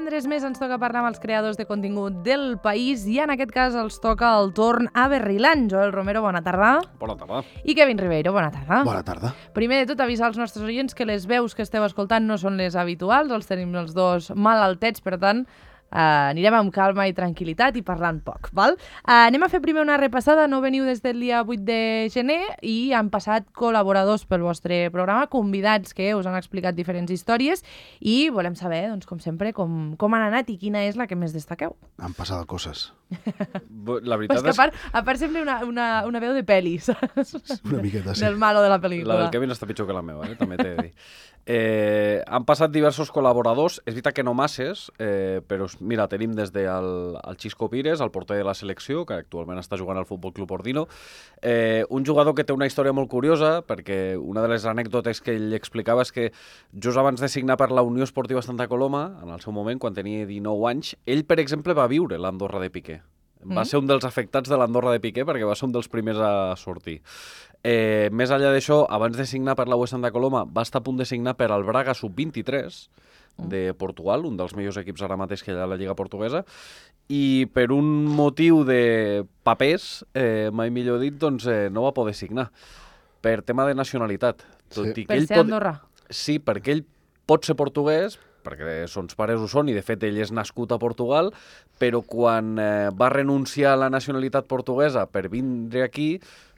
divendres més ens toca parlar amb els creadors de contingut del país i en aquest cas els toca el torn a Berrilant. Joel Romero, bona tarda. Bona tarda. I Kevin Ribeiro, bona tarda. Bona tarda. Primer de tot, avisar als nostres oients que les veus que esteu escoltant no són les habituals, els tenim els dos malaltets, per tant, anirem amb calma i tranquil·litat i parlant poc, val? Anem a fer primer una repassada. No veniu des del dia 8 de gener i han passat col·laboradors pel vostre programa, convidats que us han explicat diferents històries i volem saber, doncs, com sempre, com han anat i quina és la que més destaqueu. Han passat coses. La veritat és que a part sembla una veu de pel·li, saps? Una miqueta, sí. Del malo de la pel·lícula. La del Kevin està pitjor que la meva, també t'he de dir. Han passat diversos col·laboradors, és veritat que no masses, però mira, tenim des del Xisco Pires, el porter de la selecció, que actualment està jugant al Futbol Club Ordino, un jugador que té una història molt curiosa, perquè una de les anècdotes que ell explicava és que just abans de signar per la Unió Esportiva Santa Coloma, en el seu moment, quan tenia 19 anys, ell, per exemple, va viure l'Andorra de Piqué. Va ser un dels afectats de l'Andorra de Piqué perquè va ser un dels primers a sortir. Més enllà d'això, abans de signar per la UE Santa Coloma, va estar a punt de signar per al Braga Sub-23 de Portugal, un dels millors equips ara mateix que hi ha a la Lliga Portuguesa, i per un motiu de papers, mai millor dit, doncs no va poder signar per tema de nacionalitat. Sí. Per ser Andorra. Sí, perquè ell pot ser portuguès, perquè sons pares ho són i de fet ell és nascut a Portugal, però quan va renunciar a la nacionalitat portuguesa per vindre aquí,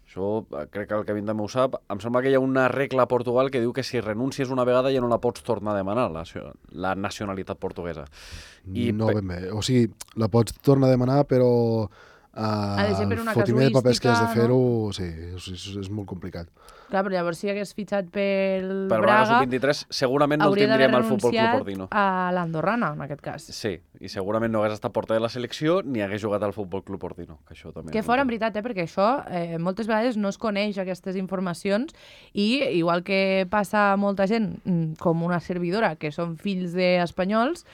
això crec que el Kevin també ho sap, em sembla que hi ha una regla a Portugal que diu que si renuncies una vegada ja no la pots tornar a demanar, la nacionalitat portuguesa. No ben bé, o sigui, la pots tornar a demanar, però ha de ser per una fotiment de papers que has de casuística, fer-ho, no? sí, és molt complicat. Clar, però llavors si hagués fitxat pel Per Braga, Sub-23 segurament no el hauria d'haver tindríem al Futbol Club renunciat Ordino. a l'andorrana, en aquest cas. Sí, i segurament no hagués estat porter de la selecció ni hagués jugat al Futbol Club Ordino. Que això també Que fora, en veritat, perquè això moltes vegades no es coneix aquestes informacions i, igual que passa a molta gent, com una servidora, que són fills d'espanyols,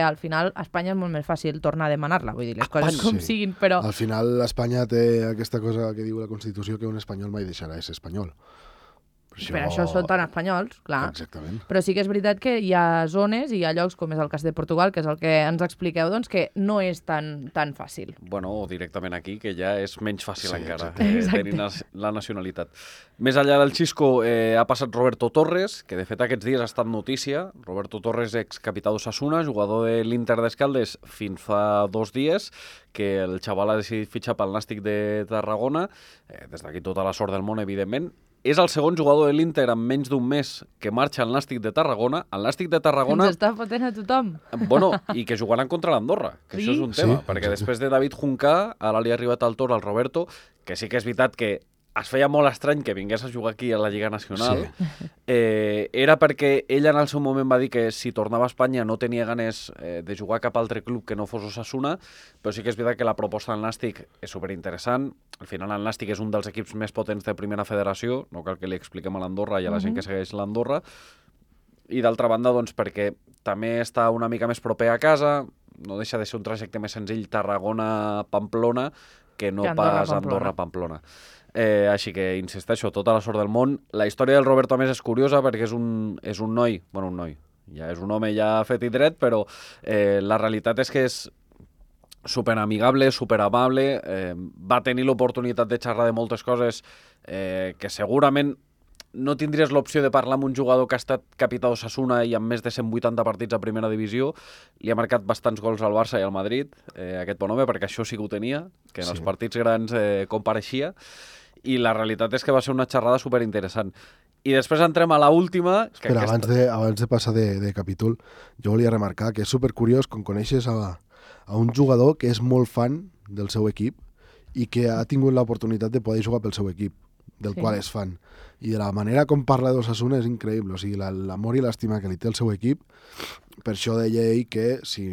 al final a Espanya és molt més fàcil tornar a demanar-la, vull dir, les coses com siguin, però... Al final Espanya té aquesta cosa que diu la Constitució que un espanyol mai deixarà de ser espanyol. Per això són tan espanyols, clar. Exactament. Però sí que és veritat que hi ha zones i hi ha llocs, com és el cas de Portugal, que és el que ens expliqueu, doncs, que no és tan fàcil. Bueno, o directament aquí, que ja és menys fàcil encara Exacte. tenir la nacionalitat. Més enllà del Xisco ha passat Roberto Torres, que de fet aquests dies ha estat notícia. Roberto Torres, excapità d'Osasuna, jugador de l'Inter d'Escaldes fins fa 2 dies, que el xaval ha decidit fitxar pel Nàstic de Tarragona. Des d'aquí tota la sort del món, evidentment. És el segon jugador de l'Inter en menys d'un mes que marxa al Nàstic de Tarragona. El Nàstic de Tarragona... Ens està fotent a tothom. Bueno, i que jugaran contra l'Andorra, que Sí? això és un tema, Sí, perquè exacte. després de David Juncà, ara li ha arribat al torn al Roberto, que sí que és veritat que es feia molt estrany que vingués a jugar aquí a la Lliga Nacional. Sí. Era perquè ell en el seu moment va dir que si tornava a Espanya no tenia ganes de jugar a cap altre club que no fos Osasuna, però sí que és veritat que la proposta del Nàstic és superinteressant. Al final el Nàstic és un dels equips més potents de primera federació, no cal que li expliquem a l'Andorra i a la gent que segueix l'Andorra, i d'altra banda, doncs, perquè també està una mica més proper a casa, no deixa de ser un trajecte més senzill Tarragona-Pamplona que no Que pas Andorra-Pamplona. Andorra-Pamplona. Així que, insisteixo, tota la sort del món. La història del Roberto, a més, és curiosa perquè és un noi, bueno, un noi, ja és un home ja fet i dret, però la realitat és que és superamigable, superamable, va tenir l'oportunitat de xerrar de moltes coses que segurament no tindries l'opció de parlar amb un jugador que ha estat capità d'Osasuna i amb més de 180 partits a primera divisió. Li ha marcat bastants gols al Barça i al Madrid, aquest bon home, perquè això sí que ho tenia, que en els partits grans compareixia, i la realitat és que va ser una xerrada superinteressant. I després entrem a l'última... Espera, abans de passar de capítol, jo volia remarcar que és supercuriós quan coneixes a un jugador que és molt fan del seu equip i que ha tingut l'oportunitat de poder jugar pel seu equip, del qual és fan. I de la manera com parla d'Osasuna és increïble, o sigui, l'amor i l'estima que li té el seu equip. Per això deia ell que si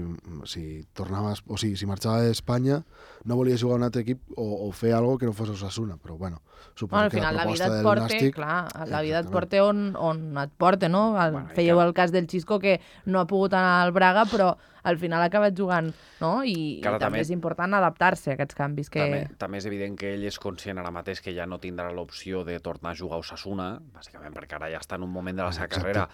tornava, o sigui, si marxava d'Espanya no volia jugar a un altre equip o fer alguna cosa que no fos Osasuna, però bueno, suposo Al que final la la vida proposta et del porta, Nàstic... clar, la vida et Exactament. porta on et porta, no? Fèieu que- el cas del Xisco, que no ha pogut anar al Braga, però al final ha acabat jugant, no? I Clar, també també- és important adaptar-se a aquests canvis que... També és evident que ell és conscient ara mateix que ja no tindrà l'opció de tornar a jugar a Osasuna, bàsicament perquè ara ja està en un moment de la seva Exacte. carrera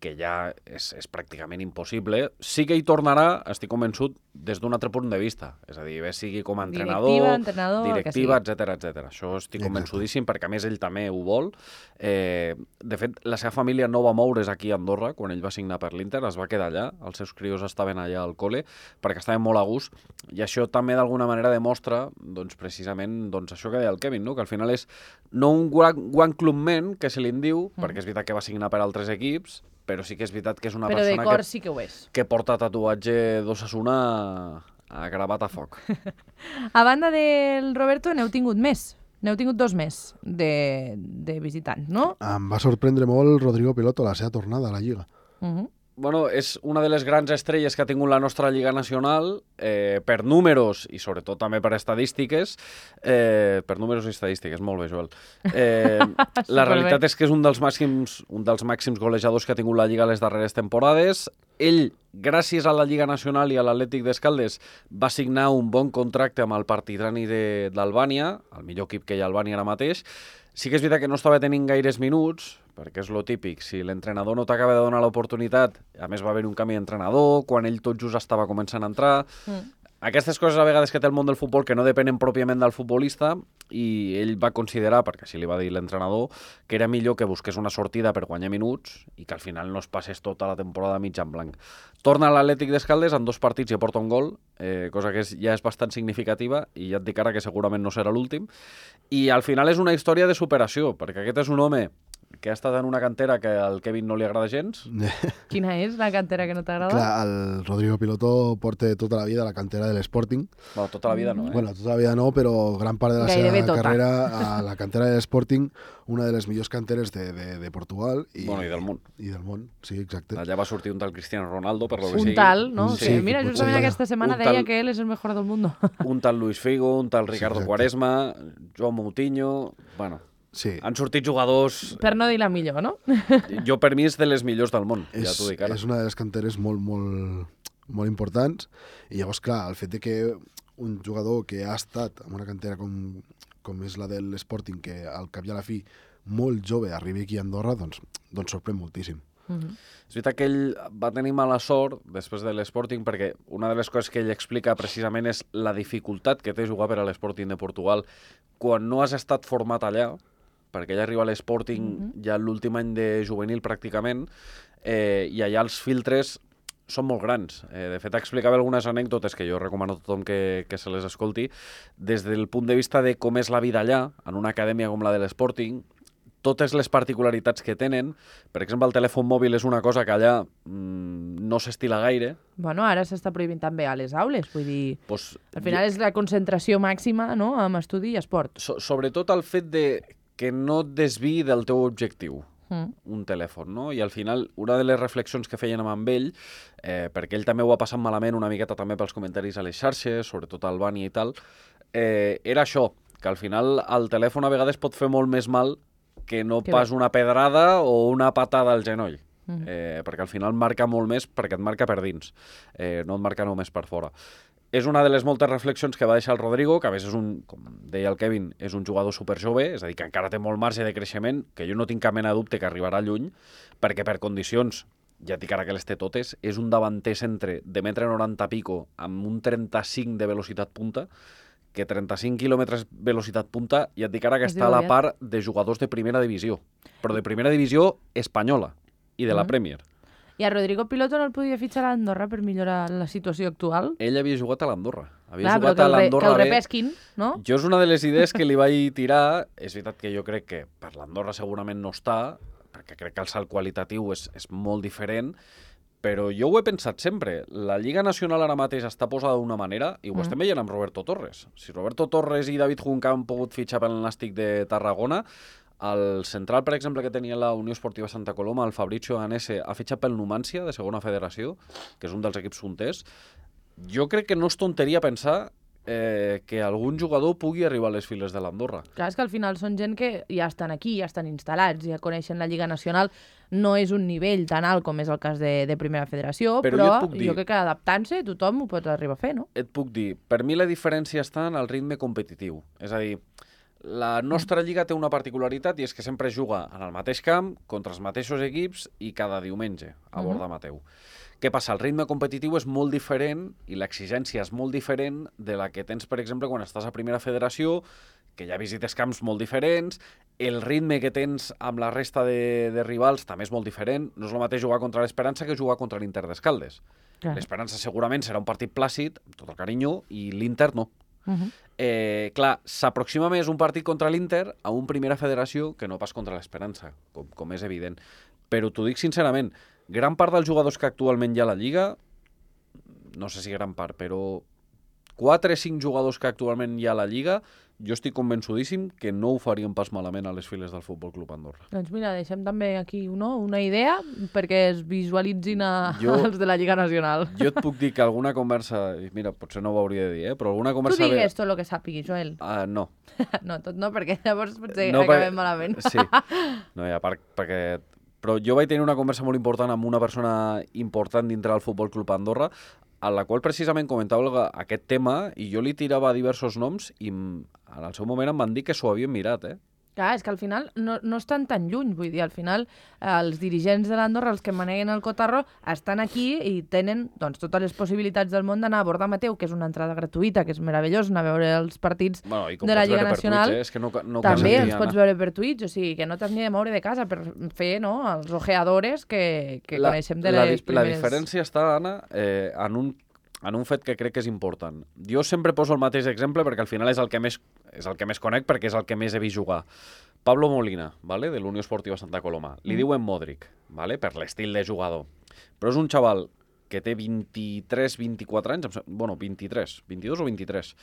que ja és pràcticament impossible. Sí que hi tornarà, estic convençut, des d'un altre punt de vista. És a dir, bé sigui com a entrenador, directiva, etc. Això estic convençudíssim, perquè a més ell també ho vol. De fet, la seva família no va moure's aquí a Andorra quan ell va signar per l'Inter, es va quedar allà, els seus crios estaven allà al col·le, perquè estaven molt a gust, i això també d'alguna manera demostra, doncs, precisament, doncs, això que deia el Kevin, no? Que al final és no un one club man, que se li en diu, perquè és veritat que va signar per altres equips, però sí que és veritat que és una persona de cor sí que ho és. Que porta tatuatge d'Osasuna a gravat a foc. A banda del Roberto, n'heu tingut més. N'heu tingut 2 més de visitants, no? Em va sorprendre molt Rodrigo Piloto, la seva tornada a la Lliga. Bueno, és una de les grans estrelles que ha tingut la nostra Lliga Nacional, per números i sobretot també per estadístiques. Per números i estadístiques, molt bé, Joel. La realitat és que és un dels màxims golejadors que ha tingut la Lliga les darreres temporades. Ell, gràcies a la Lliga Nacional i a l'Atlètic d'Escaldes, va signar un bon contracte amb el Partitrani d'Albània, el millor equip que hi ha a Albània ara mateix. Sí que és veritat que no estava tenint gaires minuts, perquè és lo típic, si l'entrenador no t'acaba de donar l'oportunitat, a més va haver un canvi d'entrenador, quan ell tot just estava començant a entrar... Aquestes coses a vegades que té el món del futbol que no depenen pròpiament del futbolista, i ell va considerar, perquè així li va dir l'entrenador, que era millor que busqués una sortida per guanyar minuts i que al final no es passés tota la temporada mig en blanc. Torna a l'Atlètic d'Escaldes, en 2 partits i aporta un gol, cosa que ja és bastant significativa, i ja et dic ara que segurament no serà l'últim. I al final és una història de superació, perquè aquest és un home que ha estat en una cantera que al Kevin no li agrada gens. Quina és la cantera que no t'agrada? Clar, el Rodrigo Piloto porta tota la vida a la cantera de l'Sporting. Bueno, tota la vida no, Bueno, tota la vida no, però gran part de la seva carrera a la cantera de l'Sporting, una de les millors canteres de Portugal. I del món. I del món, sí, exacte. Allà va sortir un tal Cristiano Ronaldo, per lo que sigui. Un tal, no? Sí, mira, justament aquesta setmana deia que ell és el mejor del mundo. Un tal Luis Figo, un tal Ricardo Quaresma, Joan Moutinho... Bueno... Sí. Han sortit jugadors... Per no dir la millor, no? Jo, per mi, és de les millors del món, ja t'ho dic ara. És una de les canteres molt importants, i llavors, clar, el fet de que un jugador que ha estat en una cantera com és la de l'Sporting, que al cap i a la fi, molt jove, arribi aquí a Andorra, doncs sorprèn moltíssim. És veritat que ell va tenir mala sort després de l'Sporting, perquè una de les coses que ell explica precisament és la dificultat que té jugar per a l'Sporting de Portugal quan no has estat format allà, perquè ella arriba a l'Sporting ja l'últim any de juvenil pràcticament, i allà els filtres són molt grans. De fet, explicava algunes anècdotes que jo recomano a tothom que se les escolti, des del punt de vista de com és la vida allà, en una acadèmia com la de l'Sporting, totes les particularitats que tenen. Per exemple, el telèfon mòbil és una cosa que allà no s'estila gaire. Bueno, ara s'està prohibint també a les aules, vull dir... Pues, al final és la concentració màxima, no?, amb estudi i esport. Sobretot el fet de que no et desviï del teu objectiu, un telèfon, no? I al final, una de les reflexions que feien amb ell, perquè ell també ho ha passat malament una miqueta també pels comentaris a les xarxes, sobretot a Albània i tal, era això, que al final el telèfon a vegades pot fer molt més mal que no pas una pedrada o una patada al genoll. Perquè al final marca molt més perquè et marca per dins, no et marca només per fora. És una de les moltes reflexions que va deixar el Rodrigo, que a més és com deia el Kevin, és un jugador superjove, és a dir, que encara té molt marge de creixement, que jo no tinc cap mena de dubte que arribarà lluny, perquè per condicions, ja et dic ara que les té totes, és un davanter centre de 1,90 m pico amb un 35 de velocitat punta, que 35 km velocitat punta, ja et dic ara que està a la part de jugadors de primera divisió, però de primera divisió espanyola i de la Premier. I a Rodrigo Piloto no el podia fitxar a l'Andorra per millorar la situació actual? Ell havia jugat a l'Andorra. Clar, però que el repesquin, no? Jo és una de les idees que li vaig tirar. És veritat que jo crec que per l'Andorra segurament no està, perquè crec que el salt qualitatiu és molt diferent, però jo ho he pensat sempre. La Lliga Nacional ara mateix està posada d'una manera, i ho estem veient amb Roberto Torres. Si Roberto Torres i David Junca han pogut fitxar pel Nàstic de Tarragona, el central, per exemple, que tenia la Unió Esportiva Santa Coloma, el Fabrizio Anese, ha fitxat pel Numancia, de segona federació, que és un dels equips punters. Jo crec que no és tonteria pensar que algun jugador pugui arribar a les files de l'Andorra. Clar, és que al final són gent que ja estan aquí, ja estan instal·lats, ja coneixen la Lliga Nacional. No és un nivell tan alt com és el cas de Primera Federació, però jo crec que adaptant-se tothom ho pot arribar a fer, no? Et puc dir, per mi la diferència està en el ritme competitiu. És a dir, la nostra lliga té una particularitat i és que sempre es juga en el mateix camp, contra els mateixos equips i cada diumenge a Borda Mateu. Què passa? El ritme competitiu és molt diferent i l'exigència és molt diferent de la que tens, per exemple, quan estàs a Primera Federació, que ja visites camps molt diferents, el ritme que tens amb la resta de rivals també és molt diferent. No és el mateix jugar contra l'Esperança que jugar contra l'Inter d'Escaldes. L'Esperança segurament serà un partit plàcid, amb tot el carinyo, i l'Inter no. Clar, s'aproxima més un partit contra l'Inter a un Primera Federació que no pas contra l'Esperança, com és evident. Però t'ho dic sincerament, gran part dels jugadors que actualment hi ha a la Lliga, no sé si gran part, però 4 o 5 jugadors que actualment hi ha a la Lliga, jo estic convençudíssim que no ho farien pas malament a les files del Futbol Club Andorra. Doncs mira, deixem també aquí una idea perquè es visualitzin els de la Lliga Nacional. Jo et puc dir que alguna conversa, mira, potser no ho hauria de dir, però alguna conversa... Tu digues tot el que sàpiguis, Joel. No. No, tot no, perquè llavors potser acabem malament. Sí, no, i a part, perquè... Però jo vaig tenir una conversa molt important amb una persona important dintre del Futbol Club Andorra, a la qual precisament comentava aquest tema i jo li tirava diversos noms i en el seu moment em van dir que s'ho havien mirat, Clar, és que al final no estan tan lluny, vull dir, al final els dirigents de l'Andorra, els que maneguen el Cotarro, estan aquí i tenen doncs, totes les possibilitats del món d'anar a Borda Mateu, que és una entrada gratuïta, que és meravellós, anar a veure els partits de la Lliga Nacional. És que no també els pots veure per Twitch, o sigui, que no t'has ni de moure de casa per fer els ojeadores que coneixem de les primeres... La diferència està, Anna, en un fet que crec que és important. Jo sempre poso el mateix exemple perquè al final és el que més conec perquè és el que més he vist jugar. Pablo Molina, ¿vale? De l'Unió Esportiva Santa Coloma. Li diuen Modric, ¿vale? Per l'estil de jugador. Però és un xaval que té 23-24 anys, bueno, 22 o 23,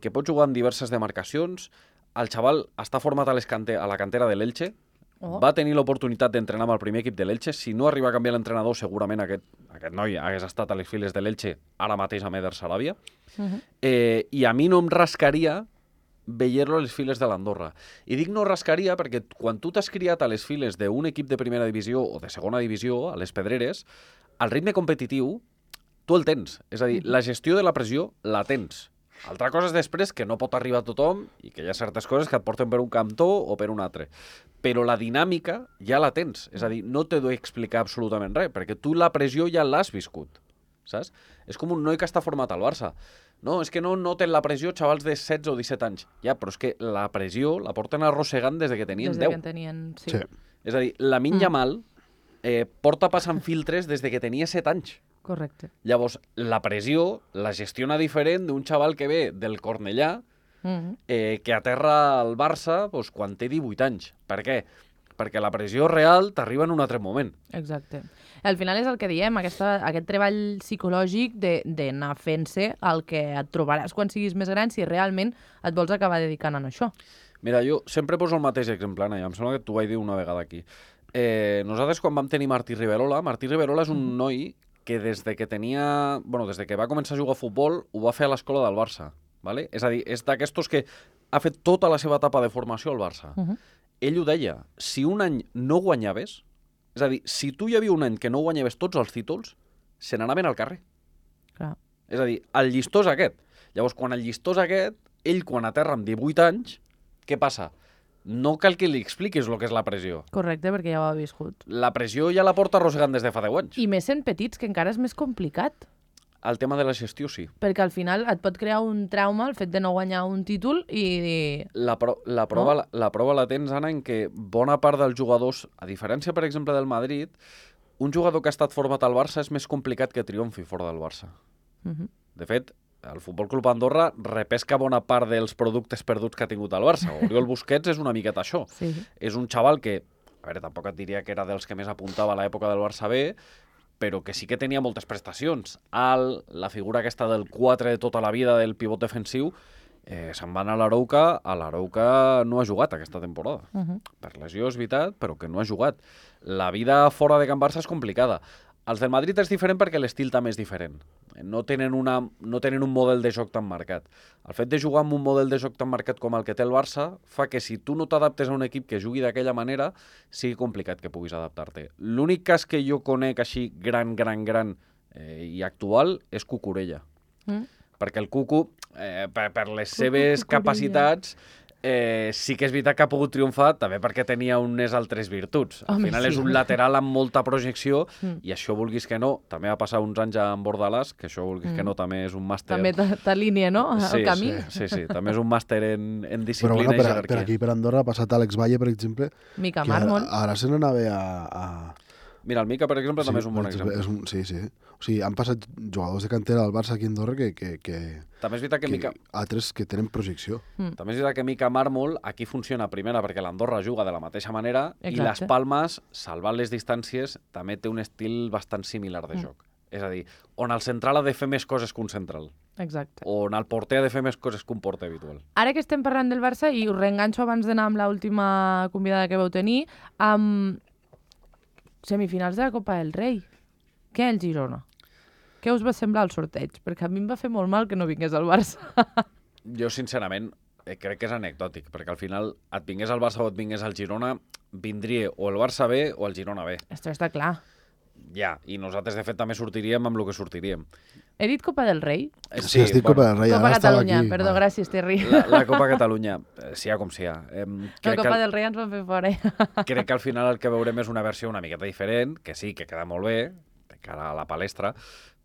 que pot jugar en diverses demarcacions. El xaval està format a la cantera de l'Elche. Va tenir l'oportunitat d'entrenar amb el primer equip de l'Elche. Si no arriba a canviar l'entrenador, segurament aquest noi hagués estat a les files de l'Elche ara mateix a Eder Sarabia. I a mi no em rascaria veure-lo a les files de l'Andorra. I dic no rascaria perquè quan tu t'has criat a les files d'un equip de primera divisió o de segona divisió, a les Pedreres, el ritme competitiu tu el tens. És a dir, la gestió de la pressió la tens. Altra cosa és després que no pot arribar a tothom i que hi ha certes coses que et porten per un cantó o per un altre. Però la dinàmica ja la tens. És a dir, no t'he d'explicar absolutament res, perquè tu la pressió ja l'has viscut. Saps? És com un noi que està format al Barça. No, és que no noten la pressió xavals de 16 o 17 anys. Ja, però és que la pressió la porten arrossegant des que tenien 10. Des que tenien, sí. És a dir, Lamine Yamal porta passant filtres des que tenia 7 anys. Correcte. Llavors, la pressió la gestiona diferent d'un xaval que ve del Cornellà, que aterra al Barça quan té 18 anys. Per què? Perquè la pressió real t'arriba en un altre moment. Exacte. Al final és el que diem, aquest treball psicològic d'anar fent-se el que et trobaràs quan siguis més gran si realment et vols acabar dedicant a això. Mira, jo sempre poso el mateix exemple, Anna, i em sembla que t'ho vaig dir una vegada aquí. Nosaltres, quan vam tenir Martí Riverola és un noi que des que va començar a jugar a futbol ho va fer a l'escola del Barça. ¿Vale? És a dir, és d'aquestos que ha fet tota la seva etapa de formació al Barça. Ell ho deia, si un any no guanyaves, és a dir, si tu hi havia un any que no guanyaves tots els títols, se n'anaven al carrer. Clar. És a dir, el llistó és aquest. Llavors, quan el llistó és aquest, ell quan aterra amb 18 anys, què passa? No cal que li expliquis el que és la pressió. Correcte, perquè ja ho ha viscut. La pressió ja la porta arrossegant des de fa 10 anys. I més sent petits, que encara és més complicat. El tema de la gestió, sí. Perquè al final et pot crear un trauma el fet de no guanyar un títol i... La prova la tens, Anna, en què bona part dels jugadors, a diferència, per exemple, del Madrid, un jugador que ha estat format al Barça és més complicat que triomfi fora del Barça. De fet, el Futbol Club Andorra repesca bona part dels productes perduts que ha tingut el Barça. Oriol Busquets és una miqueta això. Sí. És un xaval que, a veure, tampoc et diria que era dels que més apuntava a l'època del Barça B, però que sí que tenia moltes prestacions. La figura aquesta del 4 de tota la vida del pivot defensiu, se'n va anar a l'Arauca no ha jugat aquesta temporada. Per lesió és veritat, però que no ha jugat. La vida fora de Can Barça és complicada. Els del Madrid és diferent perquè l'estil també és diferent. No tenen un model de joc tan marcat. El fet de jugar amb un model de joc tan marcat com el que té el Barça fa que si tu no t'adaptes a un equip que jugui d'aquella manera, sigui complicat que puguis adaptar-te. L'únic cas que jo conec així gran i actual és Cucurella. Perquè el Cucu, per les seves capacitats, sí que és veritat que ha pogut triomfar també perquè tenia unes altres virtuts. Al Home, final sí. és un lateral amb molta projecció i això, vulguis que no, també va passar uns anys amb Bordalàs, que això, vulguis que no, també és un màster... També t'alinea, no?, el camí. Sí, també és un màster en Però disciplina bueno, i per jerarquia. aquí, per Andorra, ha passat Àlex Valle, per exemple, Mica que Mármol. ara se n'anava a... Mira, el Mica, per exemple, també és un bon exemple. Sí. O sigui, han passat jugadors de cantera al Barça aquí a Andorra que També és veritat que Mica... altres que tenen projecció. També és veritat que Mica Mármol aquí funciona primera perquè l'Andorra juga de la mateixa manera i Exacte. les Palmes, salvant les distàncies, també té un estil bastant similar de joc. És a dir, on el central ha de fer més coses que un central, Exacte. on el porter ha de fer més coses que un porter habitual. Ara que estem parlant del Barça, i us reenganxo abans d'anar amb l'última convidada que vau tenir, amb semifinals de la Copa del Rei. Què el Girona? Què us va semblar el sorteig? Perquè a mi em va fer molt mal que no vingués al Barça. Jo, sincerament, crec que és anecdòtic, perquè al final et vingués al Barça o et vingués al Girona, vindria o el Barça B o el Girona B. Això està clar. Ja, i nosaltres, de fet, també sortiríem amb el que sortiríem. He dit Copa del Rei? Sí, has dit Copa del Rei, Copa ara estava Catalunya, aquí. perdó, Vale. gràcies, Terri. La Copa Catalunya, sia com sia. La Copa del Rei ens van fer fora. Crec que al final el que veurem és una versió una miqueta diferent, que sí, que queda molt bé, de cara a la palestra,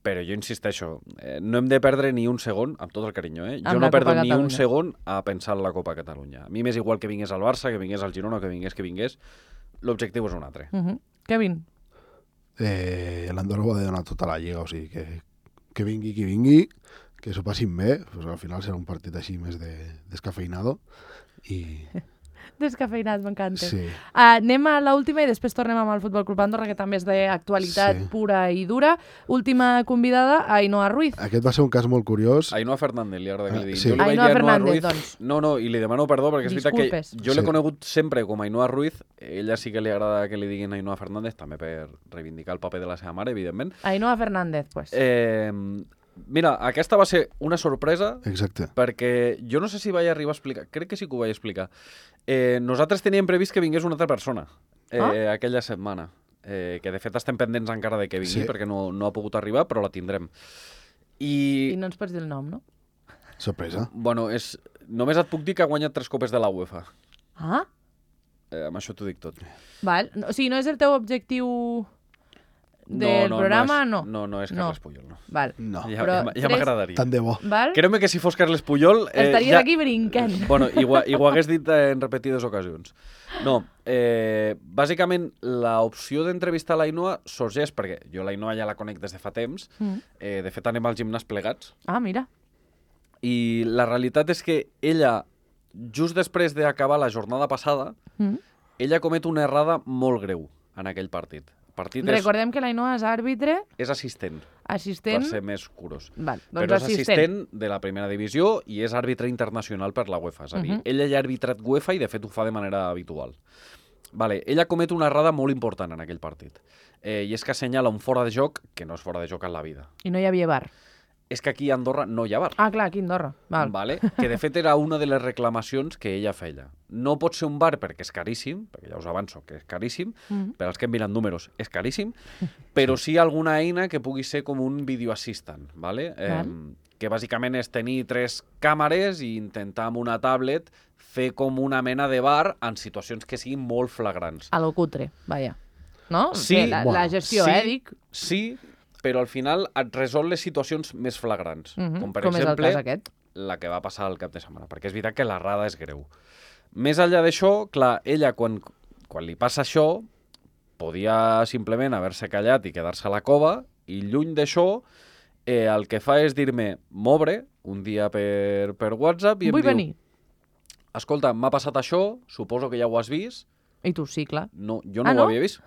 però jo insisteixo, no hem de perdre ni un segon, amb tot el carinyo, Amb jo la no perdo Copa ni un Catalunya. segon a pensar en la Copa Catalunya. A mi m'és igual que vingués al Barça, que vingués al Girona, que vingués, l'objectiu és un altre. Kevin, L'Andorra ho ha de donar tota la lliga, o sigui, que vingui qui vingui, que s'ho passin bé, pues al final serà un partit així més descafeinado i... descafeinat, m'encanta. Sí. Anem a l'última i després tornem amb el Futbol Club Andorra, que també és d'actualitat Sí. pura i dura. Última convidada, Ainhoa Ruiz. Aquest va ser un cas molt curiós. Ainhoa Fernández, li agrada que li diguin. Sí. Jo li vaig Ainhoa dir Fernández, Ruiz... doncs. No, i li demano perdó, perquè és veritat Disculpes. que jo l'he Sí. conegut sempre com Ainhoa Ruiz, ella sí que li agrada que li diguin Ainhoa Fernández, també per reivindicar el paper de la seva mare, evidentment. Ainhoa Fernández, pues. Mira, aquesta va ser una sorpresa Exacte. perquè jo no sé si vaig arribar a explicar, crec que sí que ho vaig explicar. Nosaltres teníem previst que vingués una altra persona aquella setmana, que de fet estem pendents encara de que vingui Sí. perquè no ha pogut arribar, però la tindrem. I no ens pots dir el nom, no? Sorpresa. Bueno, només et puc dir que ha guanyat 3 copes de la UEFA. Ah, Amb això t'ho dic tot. val. O sigui, no és el teu objectiu del programa, no? No és Carles Puyol, no. Val. No, Ja Però m'agradaria. tant de bo. Val? Creu-me que si fos Carles Puyol... Estaries aquí brincant. Bueno, i ho hagués dit en repetides ocasions. No, bàsicament l'opció d'entrevistar l'Ainhoa sorgeix perquè jo l'Ainhoa ja la conec des de fa temps, de fet anem al gimnàs plegats, Ah, mira. i la realitat és que ella, just després d'acabar la jornada passada, ella comet una errada molt greu en aquell partit. El partit Recordem que l'Ainhoa és àrbitre, és assistent, assistent... per ser més curos. Val, doncs Però és assistent. assistent de la primera divisió i és àrbitre internacional per la UEFA. És a dir, ella ja ha arbitrat UEFA i de fet ho fa de manera habitual. Vale, ella comet una errada molt important en aquell partit. I és que assenyala un fora de joc que no és fora de joc en la vida. I no hi havia bar. És que aquí a Andorra no hi ha bar. Ah, clar, aquí a Andorra. Val. Vale? Que de fet era una de les reclamacions que ella feia. No pot ser un bar perquè és caríssim, perquè ja us avanço que és caríssim, per als que hem mirat números és caríssim, però sí alguna eina que pugui ser com un video assistant, vale? Que bàsicament és tenir 3 càmeres i intentar amb una tablet fer com una mena de bar en situacions que siguin molt flagrants. A lo cutre, vaja. No? Sí, Que la gestió, sí, dic. Sí, però al final et resol les situacions més flagrants. Com per Com és el exemple, cas aquest. la que va passar al cap de setmana, perquè és veritat que l'errada és greu. Més enllà d'això, clar, ella quan li passa això, podia simplement haver-se callat i quedar-se a la cova, i lluny d'això, el que fa és dir-me, m'obre un dia per WhatsApp i em Vull diu, venir. escolta, m'ha passat això, suposo que ja ho has vist. I tu sí, clar. No, jo no Ah, ho no? havia vist.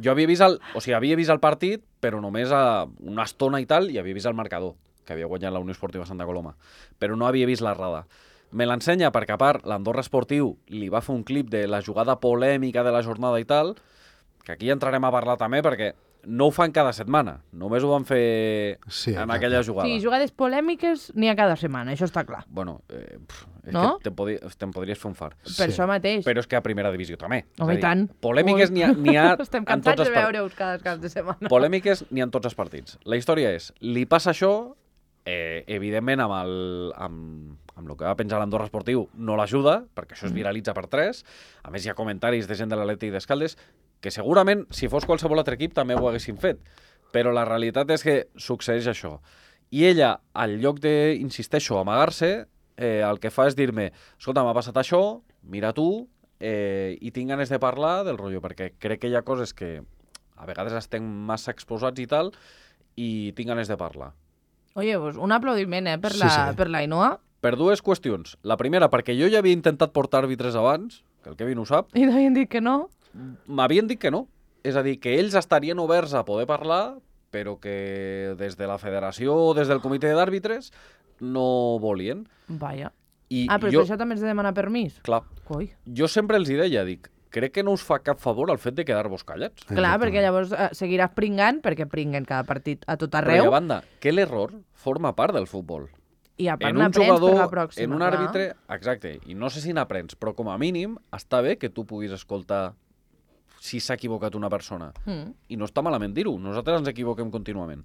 Jo havia vist havia vist el partit, però només a una estona i tal, i havia vist el marcador, que havia guanyat la Unió Esportiva Santa Coloma. Però no havia vist l'errada. Me l'ensenya perquè, a part, l'Andorra Esportiu li va fer un clip de la jugada polèmica de la jornada i tal, que aquí entrarem a parlar també, perquè no ho fan cada setmana. Només ho van fer Sí, en exacte. aquella jugada. Sí, jugades polèmiques n'hi ha cada setmana, això està clar. Bueno, és No? que te'n podries fer un far. Per això mateix. Però és que a primera divisió també. Home, És a i tant. Polèmiques n'hi ha Estem en cansats tots de els veure-us cada cap de setmana. Polèmiques n'hi ha en tots els partits. La història és, li passa això, Evidentment, amb el que va penjar l'Andorra Esportiu no l'ajuda, perquè això es viralitza per 3. A més, hi ha comentaris de gent de l'Atlètic d'Escaldes que segurament, si fos qualsevol altre equip, també ho haguessin fet. Però la realitat és que succeeix això. I ella, al lloc de, insisteixo, amagar-se, el que fa és dir-me, escolta, m'ha passat això, mira tu, i tinc ganes de parlar del rotllo, perquè crec que hi ha coses que a vegades estem massa exposats i tal, i tinc ganes de parlar. Oye, pues un aplaudiment, per l'Ainoa. Per dues qüestions. La primera, perquè jo ja havia intentat portar àrbitres abans, que el Kevin ho sap. I t'havien dit que no? M'havien dit que no. És a dir, que ells estarien oberts a poder parlar, però que des de la federació o des del comitè d'àrbitres no volien. Vaja. jo, Però per això també has de demanar permís? Clar. Coi. Jo sempre els hi deia, dic, crec que no us fa cap favor el fet de quedar-vos callats. Clar, perquè llavors seguiràs pringant, perquè pringuen cada partit a tot Però, arreu. a banda, que l'error forma part del futbol. I a part En un n'aprens per la jugador, pròxima. en un clar. àrbitre, exacte, i no sé si n'aprens, però com a mínim està bé que tu puguis escoltar si s'ha equivocat una persona. I no està malament dir-ho, nosaltres ens equivoquem contínuament.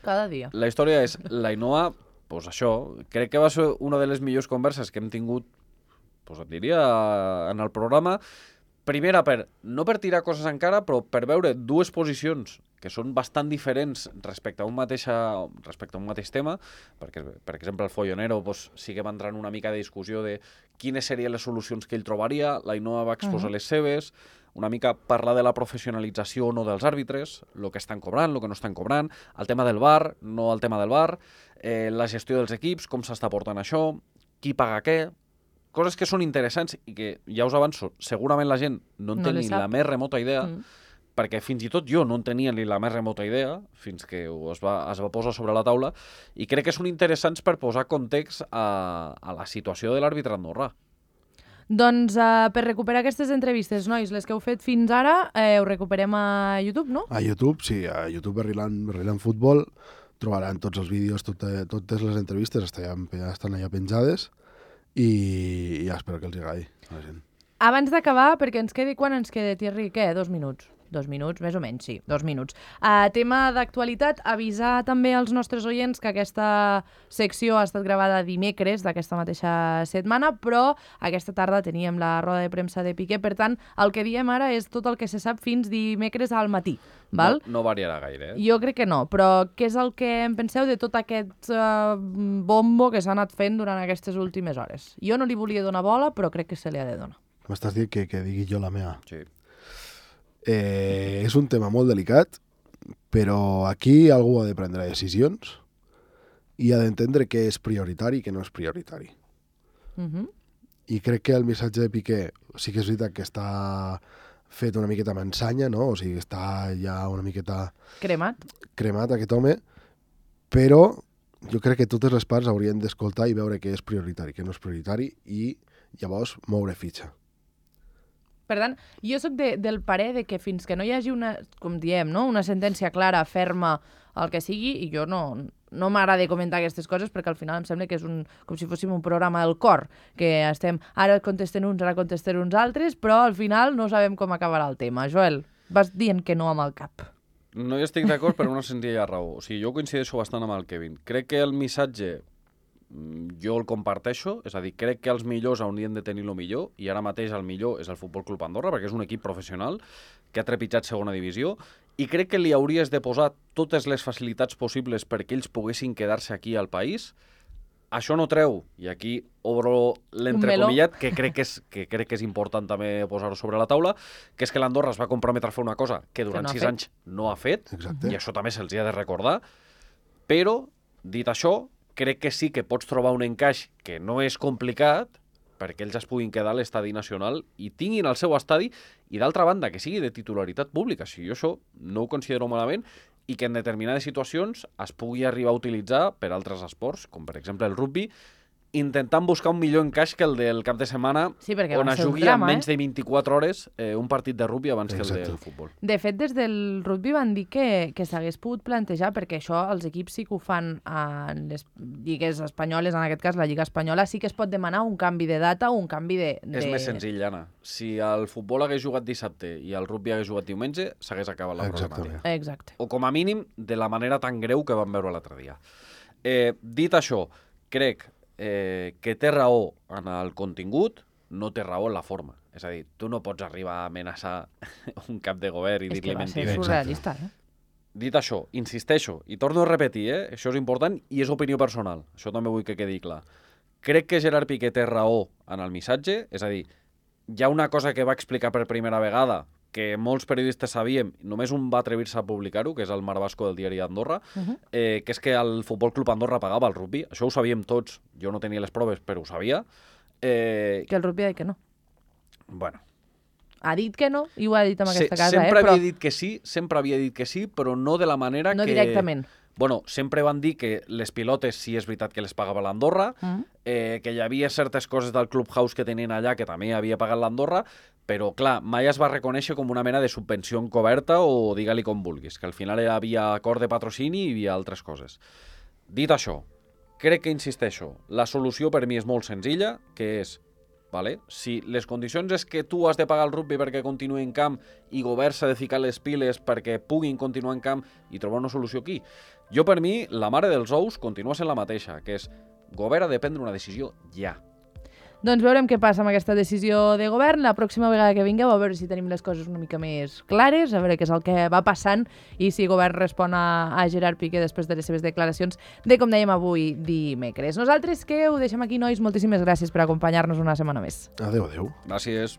Cada dia. La història és, l'Ainoa, doncs això, crec que va ser una de les millors converses que hem tingut, doncs et diria, en el programa. Primera, no per tirar coses encara, però per veure dues posicions que són bastant diferents respecte a un mateix tema, perquè, per exemple, el Follonero doncs, sí que va entrar en una mica de discussió de quines serien les solucions que ell trobaria, l'Ainoa va exposar les seves, una mica parlar de la professionalització o no dels àrbitres, el que estan cobrant, el que no estan cobrant, el tema del VAR, no el tema del VAR, la gestió dels equips, com s'està portant això, qui paga què, coses que són interessants i que, ja us avanço, segurament la gent no en té ni la més remota idea, perquè fins i tot jo no en tenia ni la més remota idea, fins que es va posar sobre la taula, i crec que són interessants per posar context a la situació de l'àrbitre andorrà. Doncs per recuperar aquestes entrevistes, nois, les que heu fet fins ara, ho recuperem a YouTube, no? A YouTube, sí, a YouTube Berriland Futbol trobaran tots els vídeos, totes les entrevistes estan allà penjades i ja espero que els agradi a la gent. Abans d'acabar, perquè ens quedi quan ens queda, Thierry, què? 2 minuts? 2 minuts, més o menys, sí, 2 minuts. Tema d'actualitat, avisar també als nostres oients que aquesta secció ha estat gravada dimecres d'aquesta mateixa setmana, però aquesta tarda teníem la roda de premsa de Piqué, per tant, el que diem ara és tot el que se sap fins dimecres al matí, val? No variarà gaire, Jo crec que no, però què és el que en penseu de tot aquest bombo que s'ha anat fent durant aquestes últimes hores? Jo no li volia donar bola, però crec que se li ha de donar. M'estàs dient que digui jo la meva. Sí. És un tema molt delicat, però aquí algú ha de prendre decisions i ha d'entendre què és prioritari i què no és prioritari. I crec que el missatge de Piqué sí que és veritat que està fet una miqueta amb ensanya, no? O sigui, està ja una miqueta cremat aquest home, però jo crec que totes les parts haurien d'escoltar i veure què és prioritari, què no és prioritari i llavors moure fitxa. Per tant, jo sóc del parer de que fins que no hi hagi una, com diem, no? Una sentència clara, ferma, el que sigui, i jo no m'agrada comentar aquestes coses perquè al final em sembla que és com si fóssim un programa del cor, que estem ara contesten uns, ara contesten uns altres, però al final no sabem com acabarà el tema. Joel, vas dient que no amb el cap. No hi estic d'acord per una senzilla raó. O sigui, jo coincideixo bastant amb el Kevin. Crec que el missatge jo el comparteixo, és a dir, crec que els millors haurien de tenir el millor i ara mateix el millor és el Futbol Club Andorra perquè és un equip professional que ha trepitjat segona divisió i crec que li hauries de posar totes les facilitats possibles perquè ells poguessin quedar-se aquí al país. Això no treu, i aquí obro l'entrecomillat, que crec que és important també posar-ho sobre la taula, que és que l'Andorra es va comprometre a fer una cosa que durant 6 anys no ha fet, i això també se'ls ha de recordar, però, dit això, crec que sí que pots trobar un encaix que no és complicat perquè ells es puguin quedar a l'estadi nacional i tinguin el seu estadi i, d'altra banda, que sigui de titularitat pública. Si jo això no ho considero malament i que en determinades situacions es pugui arribar a utilitzar per altres esports, com per exemple el rugby, intentant buscar un millor encaix que el del cap de setmana, on es jugui en menys de 24 hores un partit de rugby abans que el del futbol. De fet, des del rugby van dir que s'hagués pogut plantejar, perquè això els equips sí que ho fan en les lligues espanyoles, en aquest cas la Lliga Espanyola, sí que es pot demanar un canvi de data o un canvi de... És més senzill, Anna. Si el futbol hagués jugat dissabte i el rugby hagués jugat diumenge, s'hagués acabat la problemàtica. Exacte. O com a mínim de la manera tan greu que vam veure l'altre dia. Dit això, crec que té raó en el contingut, no té raó en la forma. És a dir, tu no pots arribar a amenaçar un cap de govern i És que dir-li va ser mentides. surrealista, Dit això, insisteixo, i torno a repetir, això és important i és opinió personal, això també vull que quedi clar. Crec que Gerard Piqué té raó en el missatge, és a dir, hi ha una cosa que va explicar per primera vegada que molts periodistes sabíem, només un va atrevir-se a publicar-ho, que és el Marc Vasco del diari d'Andorra, que és que el Futbol Club Andorra pagava el rugby. Això ho sabíem tots, jo no tenia les proves, però ho sabia. Que el rugby ha dit que no. Bueno, Ha dit que no i ho ha dit en aquesta casa, sempre però havia dit que sí, sempre havia dit que sí, però no de la manera no que... directament. Bueno, sempre van dir que les pilotes sí és veritat que les pagava l'Andorra, que hi havia certes coses del Clubhouse que tenien allà que també havia pagat l'Andorra, però, clar, mai es va reconèixer com una mena de subvenció encoberta o digue-li com vulguis, que al final hi havia acord de patrocini i hi havia altres coses. Dit això, crec que, insisteixo, la solució per mi és molt senzilla, que és, vale, si les condicions és que tu has de pagar el rugby perquè continuï en camp i govern s'ha de ficar les piles perquè puguin continuar en camp i trobar una solució aquí. Jo, per mi, la mare dels ous continua sent la mateixa, que és govern ha de prendre una decisió ja. Doncs veurem què passa amb aquesta decisió de govern. La pròxima vegada que vingueu, a veure si tenim les coses una mica més clares, a veure què és el que va passant i si el govern respon a Gerard Piqué després de les seves declaracions de, com dèiem, avui dimecres. Nosaltres que ho deixem aquí, nois. Moltíssimes gràcies per acompanyar-nos una setmana més. Adéu, adéu. Gràcies.